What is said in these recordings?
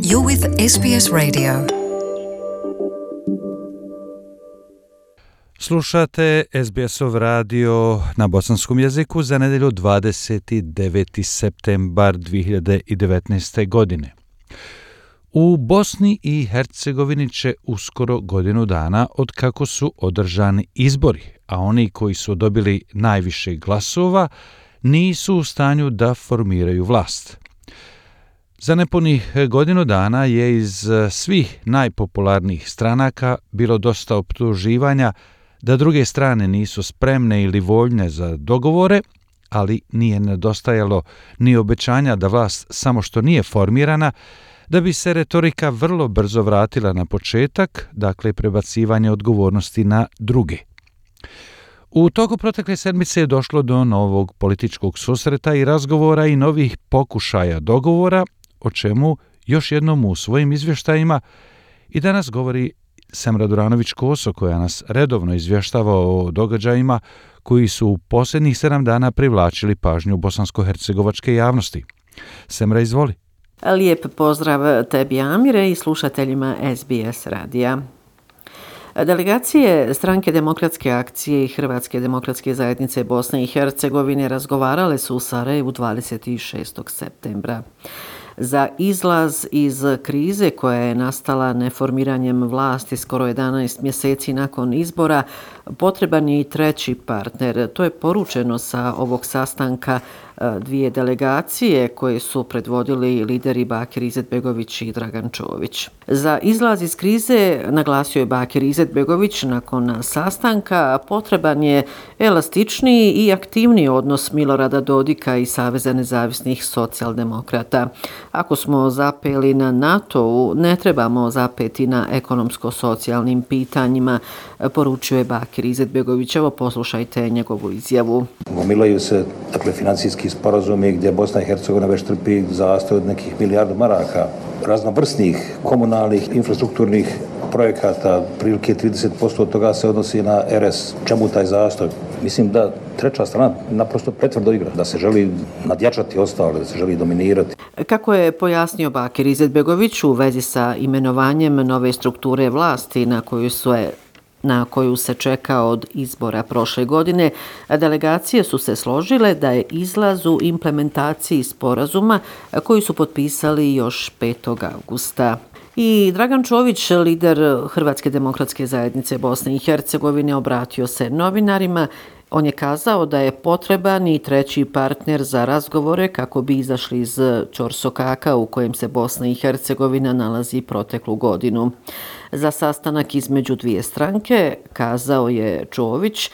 You're with SBS Radio. Slušate SBS-ov radio na bosanskom jeziku za nedjelju 29. septembar 2019. godine. U Bosni i Hercegovini će uskoro godinu dana od kako su održani izbori, a oni koji su dobili najviše glasova nisu u stanju da formiraju vlast. Za nepunih godinu dana je iz svih najpopularnijih stranaka bilo dosta optuživanja da druge strane nisu spremne ili voljne za dogovore, ali nije nedostajalo ni obećanja da vlast samo što nije formirana, da bi se retorika vrlo brzo vratila na početak, dakle prebacivanje odgovornosti na druge. U toku protekle sedmice je došlo do novog političkog susreta i razgovora i novih pokušaja dogovora, o čemu još jednom u svojim izvještajima i danas govori Semra Duranović-Koso, koja nas redovno izvještava o događajima koji su u posljednjih 7 dana privlačili pažnju bosansko-hercegovačke javnosti. Semra, izvoli. Lijep pozdrav tebi, Amire, i slušateljima SBS radija. Delegacije Stranke demokratske akcije i Hrvatske demokratske zajednice Bosne i Hercegovine razgovarale su u Sarajevu 26. septembra. Za izlaz iz krize koja je nastala neformiranjem vlasti skoro 11 mjeseci nakon izbora potreban je i treći partner. To je poručeno sa ovog sastanka dvije delegacije koje su predvodili lideri Bakir Izetbegović i Dragan Čović. Za izlaz iz krize, naglasio je Bakir Izetbegović nakon sastanka, potreban je elastičniji i aktivniji odnos Milorada Dodika i Saveza nezavisnih socijaldemokrata. Ako smo zapeli na NATO-u, ne trebamo zapeti na ekonomsko-socijalnim pitanjima, poručuje Bakir Izetbegović. Evo, poslušajte njegovu izjavu. Gomilaju se financijski sporazumi gdje Bosna i Hercegovina već trpi zastoj od nekih milijardu maraka, raznovrsnih komunalnih infrastrukturnih projekata, prilike 30% od toga se odnosi na RS. Čemu taj zastoj? Mislim da treća strana naprosto pretvrdo igra, da se želi nadjačati ostale, da se želi dominirati. Kako je pojasnio Bakir Izetbegović u vezi sa imenovanjem nove strukture vlasti na koju se čeka od izbora prošle godine, delegacije su se složile da je izlaz u implementaciji sporazuma koji su potpisali još 5. augusta. I Dragan Čović, lider Hrvatske demokratske zajednice Bosne i Hercegovine, obratio se novinarima. On je kazao da je potreban i treći partner za razgovore kako bi izašli iz ćorsokaka u kojem se Bosna i Hercegovina nalazi proteklu godinu. Za sastanak između dvije stranke, kazao je Čović,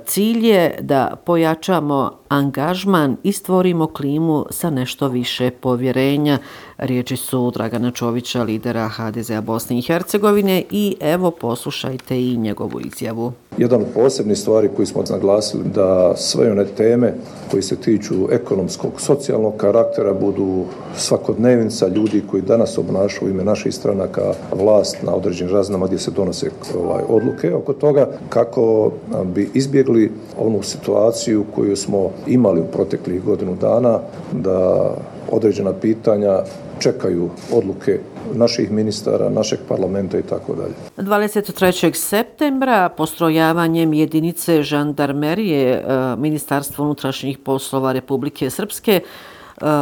cilj je da pojačamo angažman i stvorimo klimu sa nešto više povjerenja. Riječi su Dragana Čovića, lidera HDZ-a Bosne i Hercegovine, i evo poslušajte i njegovu izjavu. Jedan od posebnih stvari koji smo naglasili da sve one teme koji se tiču ekonomskog, socijalnog karaktera budu svakodnevnica ljudi koji danas obnašaju u ime naših stranaka vlast na određenim razinama gdje se donose odluke oko toga kako bi izbjegli onu situaciju koju smo imali u proteklih godinu dana, da određena pitanja čekaju odluke naših ministara, našeg parlamenta i tako dalje. 23. septembra postrojavanjem jedinice žandarmerije Ministarstva unutrašnjih poslova Republike Srpske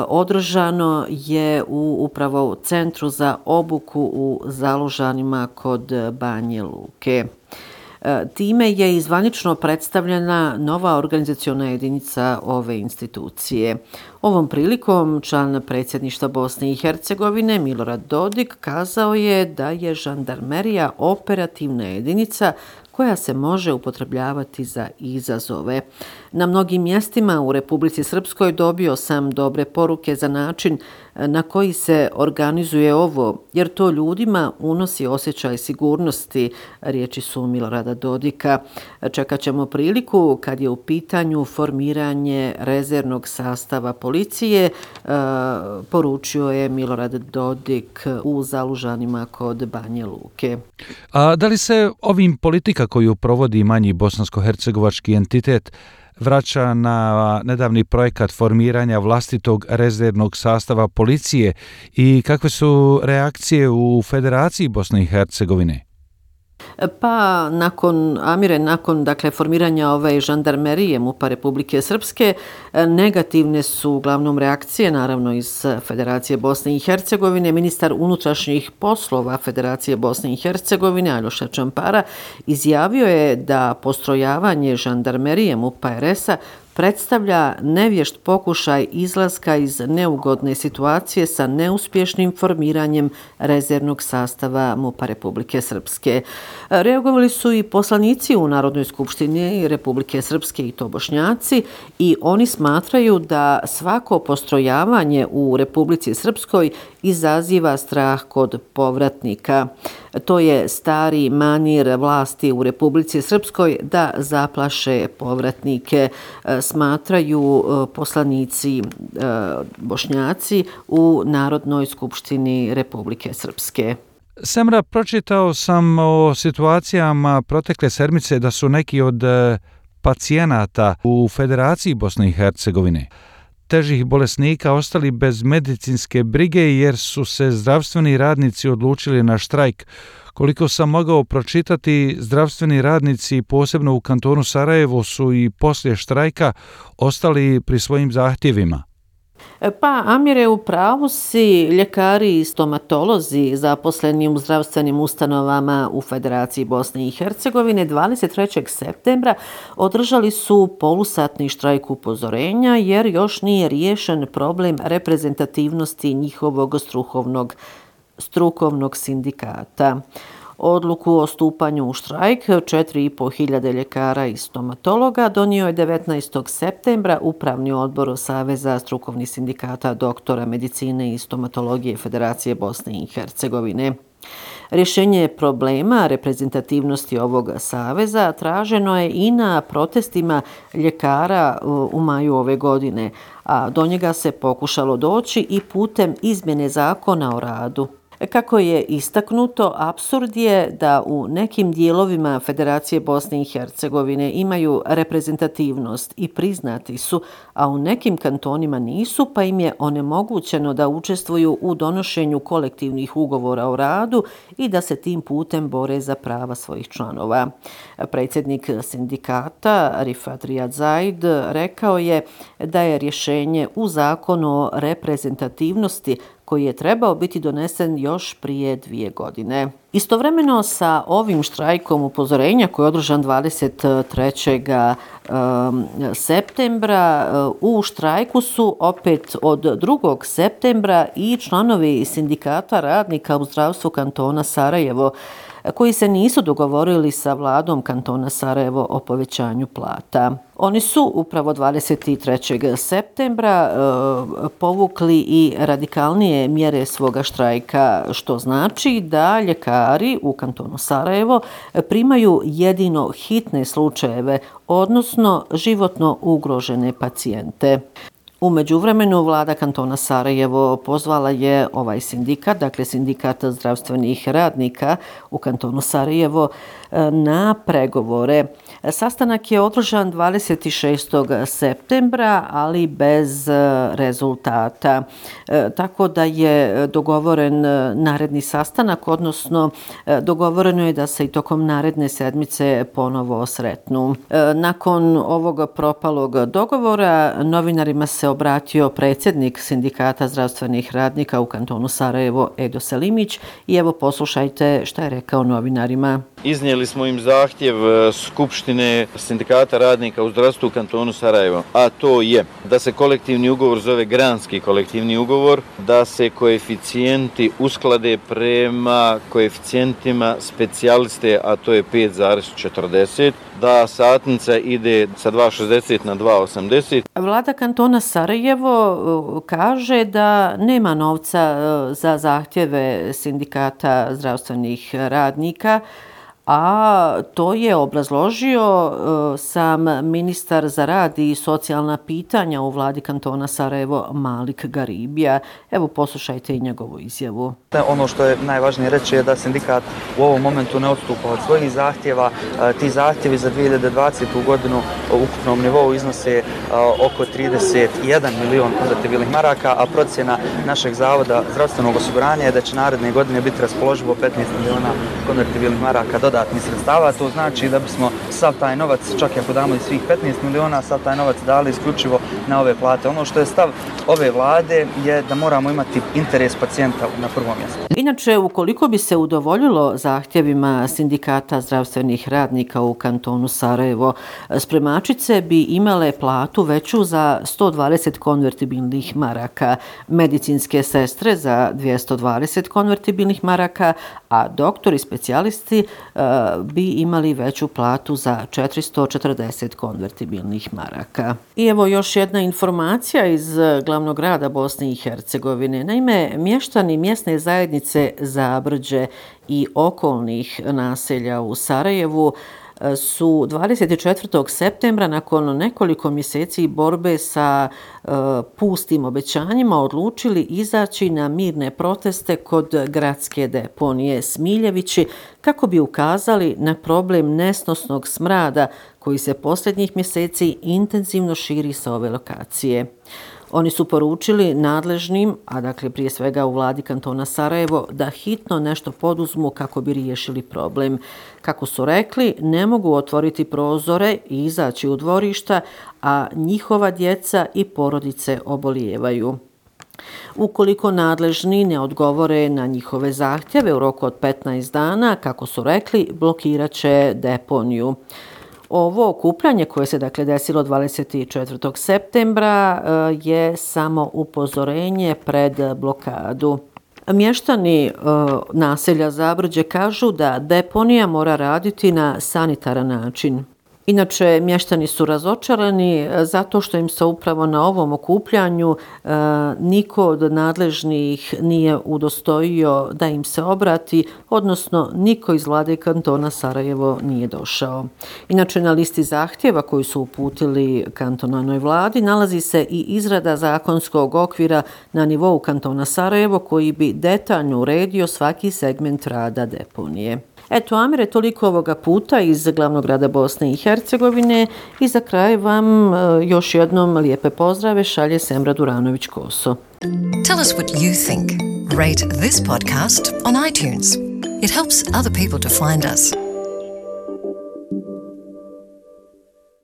održano je u upravo Centru za obuku u Zalužanima kod Banje Luke. Time je i zvanično predstavljena nova organizaciona jedinica ove institucije. Ovom prilikom član predsjedništva Bosne i Hercegovine Milorad Dodik kazao je da je žandarmerija operativna jedinica koja se može upotrebljavati za izazove. Na mnogim mjestima u Republici Srpskoj dobio sam dobre poruke za način na koji se organizuje ovo, jer to ljudima unosi osjećaj sigurnosti, riječi su Milorada Dodika. Čekat ćemo priliku kad je u pitanju formiranje rezervnog sastava policije, poručio je Milorad Dodik u Zalužanima kod Banje Luke. A da li se ovim politika koju provodi manji bosansko-hercegovački entitet vraća na nedavni projekat formiranja vlastitog rezervnog sastava policije i kakve su reakcije u Federaciji Bosne i Hercegovine? Pa nakon formiranja ove žandarmerije MUP-a Republike Srpske, negativne su uglavnom reakcije, naravno iz Federacije Bosne i Hercegovine. Ministar unutrašnjih poslova Federacije Bosne i Hercegovine, Aljoša Čampara, izjavio je da postrojavanje žandarmerije MUP-a RS-a predstavlja nevješt pokušaj izlaska iz neugodne situacije sa neuspješnim formiranjem rezervnog sastava MUP-a Republike Srpske. Reagovali su i poslanici u Narodnoj skupštini Republike Srpske i to Bošnjaci i oni smatraju da svako postrojavanje u Republici Srpskoj izaziva strah kod povratnika. To je stari manir vlasti u Republici Srpskoj da zaplaše povratnike, smatraju poslanici Bošnjaci u Narodnoj skupštini Republike Srpske. Semra, pročitao sam o situacijama protekle sedmice da su neki od pacijenata u Federaciji Bosne i Hercegovine težih bolesnika ostali bez medicinske brige jer su se zdravstveni radnici odlučili na štrajk. Koliko sam mogao pročitati, zdravstveni radnici, posebno u kantonu Sarajevo, su i poslije štrajka ostali pri svojim zahtjevima. Pa, Amire, u pravu si, ljekari i stomatolozi zaposleni u zdravstvenim ustanovama u Federaciji Bosne i Hercegovine 23. septembra održali su polusatni štrajk upozorenja jer još nije riješen problem reprezentativnosti njihovog strukovnog sindikata. Odluku o stupanju u štrajk 4.500 ljekara i stomatologa donio je 19. septembra Upravni odbor Saveza strukovnih sindikata doktora medicine i stomatologije Federacije Bosne i Hercegovine. Rješenje problema reprezentativnosti ovog saveza traženo je i na protestima ljekara u maju ove godine, a do njega se pokušalo doći i putem izmjene zakona o radu. Kako je istaknuto, apsurd je da u nekim dijelovima Federacije Bosne i Hercegovine imaju reprezentativnost i priznati su, a u nekim kantonima nisu, pa im je onemogućeno da učestvuju u donošenju kolektivnih ugovora o radu i da se tim putem bore za prava svojih članova. Predsjednik sindikata Rifat Rijad Zaid rekao je da je rješenje u zakonu o reprezentativnosti koji je trebao biti donesen još prije 2 godine. Istovremeno sa ovim štrajkom upozorenja koji je održan 23. septembra, u štrajku su opet od 2. septembra i članovi sindikata radnika u zdravstvu kantona Sarajevo, koji se nisu dogovorili sa vladom kantona Sarajevo o povećanju plata. Oni su upravo 23. septembra povukli i radikalnije mjere svoga štrajka, što znači da ljekari u kantonu Sarajevo primaju jedino hitne slučajeve, odnosno životno ugrožene pacijente. U međuvremenu vlada kantona Sarajevo pozvala je ovaj sindikat, dakle sindikat zdravstvenih radnika u kantonu Sarajevo, na pregovore. Sastanak je održan 26. septembra, ali bez rezultata. Tako da je dogovoren naredni sastanak, odnosno dogovoreno je da se i tokom naredne sedmice ponovo sretnu. Nakon ovog propalog dogovora novinarima se obratio predsjednik sindikata zdravstvenih radnika u kantonu Sarajevo Edo Selimić i evo poslušajte šta je rekao novinarima. Iznijeli smo im zahtjev Skupštine sindikata radnika u zdravstvu u kantonu Sarajevo, a to je da se kolektivni ugovor zove granski kolektivni ugovor, da se koeficijenti usklade prema koeficijentima specijaliste, a to je 5,40, da satnica ide sa 2,60 na 2,80. Vlada kantona Sarajevo kaže da nema novca za zahtjeve sindikata zdravstvenih radnika, a to je obrazložio sam ministar za rad i socijalna pitanja u vladi kantona Sarajevo, Malik Garibija. Evo, poslušajte i njegovu izjavu. Ono što je najvažnije reći je da sindikat u ovom momentu ne odstupa od svojih zahtjeva. Ti zahtjevi za 2020. godinu u ukupnom nivou iznose oko 31 milion konvertibilnih maraka, a procjena našeg zavoda zdravstvenog osiguranja je da će naredne godine biti raspoloživo 15 miliona konvertibilnih maraka dodatnih sredstava. To znači da bismo sav taj novac, čak i ako damo i svih 15 miliona, sav taj novac dali isključivo na ove plate. Ono što je stav ove vlade je da moramo imati interes pacijenta na prvom mjestu. Inače, ukoliko bi se udovoljilo zahtjevima sindikata zdravstvenih radnika u kantonu Sarajevo, spremačice bi imale platu veću za 120 konvertibilnih maraka, medicinske sestre za 220 konvertibilnih maraka, a doktori specijalisti bi imali veću platu za 440 konvertibilnih maraka. I evo još jedna informacija iz glavnog grada Bosne i Hercegovine. Naime, mještani mjesne zajednice Zabrđe i okolnih naselja u Sarajevu su 24. septembra nakon nekoliko mjeseci borbe sa pustim obećanjima odlučili izaći na mirne proteste kod gradske deponije Smiljevići kako bi ukazali na problem nesnosnog smrada koji se posljednjih mjeseci intenzivno širi sa ove lokacije. Oni su poručili nadležnim, a dakle prije svega u vladi kantona Sarajevo, da hitno nešto poduzmu kako bi riješili problem. Kako su rekli, ne mogu otvoriti prozore i izaći u dvorišta, a njihova djeca i porodice obolijevaju. Ukoliko nadležni ne odgovore na njihove zahtjeve u roku od 15 dana, kako su rekli, blokirat će deponiju. Ovo okupljanje koje se dakle desilo 24. septembra je samo upozorenje pred blokadu. Mještani naselja Zabrđe kažu da deponija mora raditi na sanitaran način. Inače, mještani su razočarani zato što im se upravo na ovom okupljanju niko od nadležnih nije udostojio da im se obrati, odnosno niko iz vlade kantona Sarajevo nije došao. Inače, na listi zahtjeva koji su uputili kantonalnoj vladi nalazi se i izrada zakonskog okvira na nivou kantona Sarajevo koji bi detaljno uredio svaki segment rada deponije. Eto, Amire, toliko ovoga puta iz glavnog grada Bosne i Hercegovine i za kraj vam još jednom lijepe pozdrave šalje Semra Duranović-Koso. Tell us what you think. Rate this podcast on iTunes. It helps other people to find us.